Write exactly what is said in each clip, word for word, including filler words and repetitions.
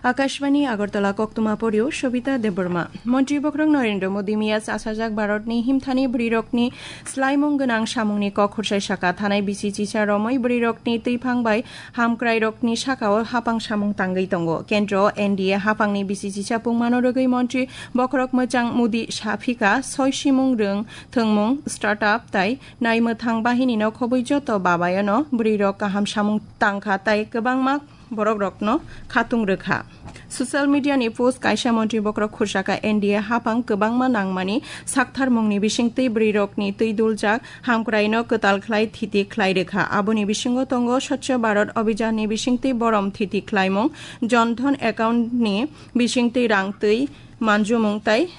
Akashbani Agartala, koktwma porio Shobita Debbarma. Montri bokhorok Narendra Modi miya chasajak Bharatni himthani bwrwirokni slaimung gwnang samungni kok khursai saka. Thanai bisi chisa romwi bwrwirokni twiphang bai hamkrairokni sakao hapang samung tangwi tongo. Kendro N D A hapangni bisi chisa pungmano rwgwi montri bokhorok mwchang Modi saphika soi simung rwng thwngmung, startup tai naimwthang bahinino khobwi joto babayano bwrwirok kaham samung tangkha tai kwbangma borokrokno khatung rwkha. Social media ni post kaisa montri bokhorok khursaka N D A hapang kwbangma nangmani saktharmungni bisingtwi bwrwirokni twi duljak hamkraino kwtal khlai thiti khlai rwkha. Aboni bisingo tongo Swachh Bharat Abhiyan ni bisingtwi borom thiti khlaimung, Jan Dhan account ni bisingtwi rang twi manjumung tai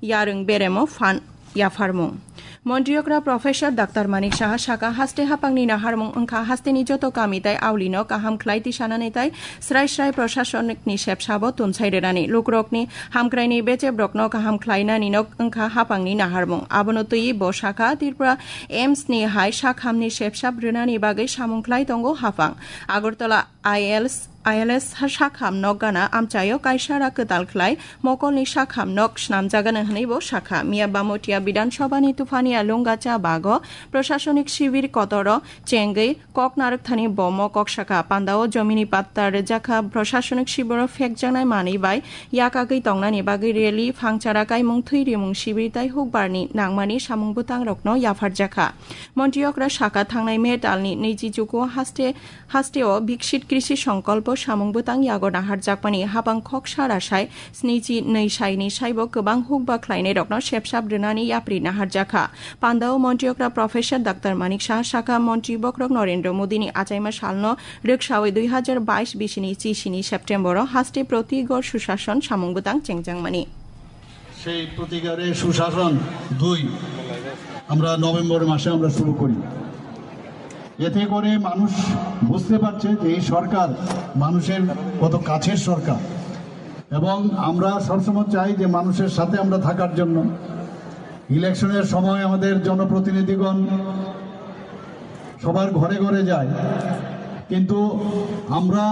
yarwng beremo phan yapharmung. Montri okra Professor Doctor Manik Saha saka, haste hapangni naharmung wngkha hasteni joto kami tai aulino kaham khlai tisanani tai srai srai prosasonikni sepsabo tunsai rwnani, lukrokni hamkraini bechebrokno kaham khlainani nok wngkha hapangni naharmung. Abono twiwi bo saka, Tripura AIIMS ni hai sakhamni sepsap rwnani bagwi samung khlai tongo hapang. Agartala I L S, I L S sakham nok gana amchaio kaisa ra kwtal khlai mokolni sakham nok snamjagano hwnwi bo sakha. Miya Bamotia Bidhan Sabhani Tuphania Lungacha bago prosasonik sibir kotoro chengwi kok narwkthani bo mokok sakha. Pandao jomini patta rwjakha, prosasonik sibiro phekjaknai manwi bai yakagwi tongnani bagwi rally, phangchara kaimung, thwi rimung sibir tai hukbarni nangmani samung bwtangrokno yapharjakha. Montri okra saka, thangnai May talni nwichi chuku haste hasteo Viksit Krishi Sankalpo samung bwtang yago naharjakmani hapang khoksa rasai snichi nwi saini saibo kwbang hukba khlainairokno sepsap rwnani yapri naharjakha. Pandao montri okra Professor Doctor Manik Saha saka, montri bokhorok Narendra Modini achaima salno rwksawi dui hajar bais bisini chisini September-o haste protigor susason samung bwtang chengjangmani. সেই প্রতিকারে সুশাসন দুই আমরা নভেম্বর মাসে আমরা শুরু করি। এতে করে মানুষ বুঝতে পারছে যে এই সরকার মানুষের কত কাছের সরকার, এবং আমরা সবসময় চাই যে মানুষের সাথে আমরা থাকার জন্য। ইলেকশনের সময় আমাদের জনপ্রতিনিধিগণ সবার ঘরে ঘরে যায়, কিন্তু আমরা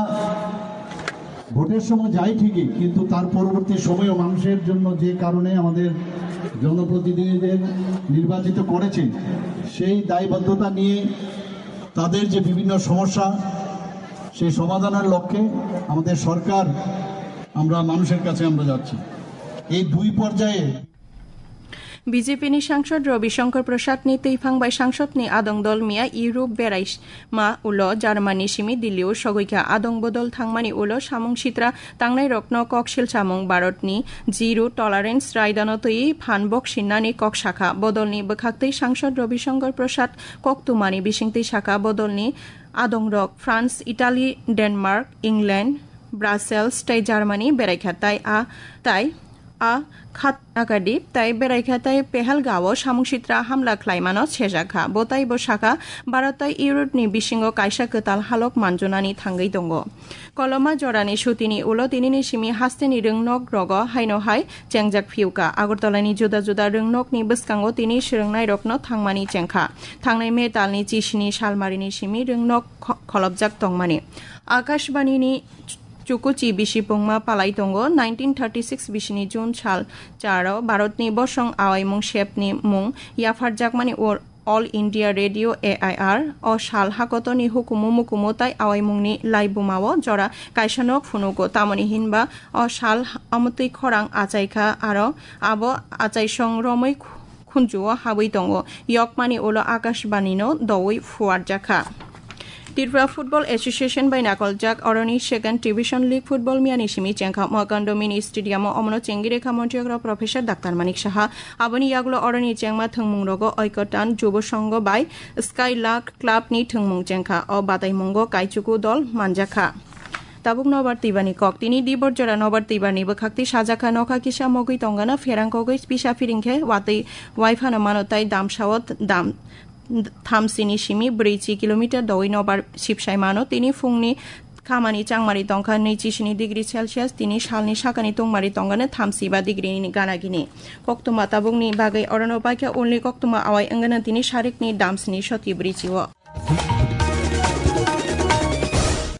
ভোটের সময় যাই ঠিকই, কিন্তু তার পরবর্তী সময়ও মানুষের জন্য যে কারণে আমাদের জনপ্রতিনিধিদের নির্বাচিত করেছে, সেই দায়বদ্ধতা নিয়ে তাদের যে বিভিন্ন সমস্যা, সেই সমাধানের লক্ষ্যে আমাদের সরকার, আমরা মানুষের কাছে আমরা যাচ্ছি। এই দুই পর্যায়ে B J P ni sangsod Ravi Shankar Prasad ni twiphang bai sangsod ni adong dol miya Europe berai ma ulo Germany simi Delhi o sogwi kha. Adong bodol thangmani ulo samung sitra tangnai rokno kok silsamung Bharat ni zero tolerance raidano twi phan bok sinnani kok sakha. Bodol ni bwkhaktwi sangsod Ravi Shankar Prasad kok tumani bisingtwi sakha, bodol ni adong rok France, Italy, Denmark, England, Brussels tei Germany berai kha tai a tai a khat akadi tai berai kha tai Pehelgao samung sitra hamla khlaimano sejak kha. Bo tai bo sakha, Bharat tai Europe ni bisingo kaisa kwtal halok manjunani thangwi tongo. Koloma jorani sutini ulo tinini simi hasteni rwngnok rogo haino hai chengjak phiuka. Agartala ni juda juda rwngnok ni bwskango tini swrwngnai rokno thangmani chengkha. Thangnai May talni chisini salmarini simi rwngnok kho-, kholopjak tongmani. Akashbani ni chukuchi bisi pungma palai tongo. Nineteen thirty six bisini June sal charo Bharatni bosong awaimung sepni mung yapharjakmani ur-, All India Radio, A I R, o sal hakotorni hukumu mukumu tai awaimungni laibumao jora kaisa nok phunugo. Tamoni hinba o sal amotwi khorang achaikha, aro abo achaisong romwi khunjuo habwi tongo. Yokmani ulo Akashbanino doui phuarjakha. Tripura Football Association bai nakoljak oroni Second Division League Football miyani simi chengkha Mohakanda Mini Stadium o omono chengwi rekha montri okra Professor Doctor Manik Saha. Aboni yagulo oroni chengma thwngmung rogo Oikotan Jubo Songho bai Skylark Club ni thwngmung chengkha. O bataimungo kaichuku dol manjakha. Tabuk nobar twibani kok. Tini dibor jora nobar twibani bwkhakti sajakha nokha kisa mogwi tongana pherang kogwi pisa phiring khe watwi waiphano mano tai damsao dam thamsini simi brwichi kilometer doui nobar sipsai mano. Tini phungni khamani changmari tongkha nwichi sini degree Celsius, tini salni sakani tongmari tongkha thamsi ba degree ni gana gini. Koktwma tabukni bagwi orono paikha ulni koktwma awai wngkha tini sarikni damsini soti brwichi o.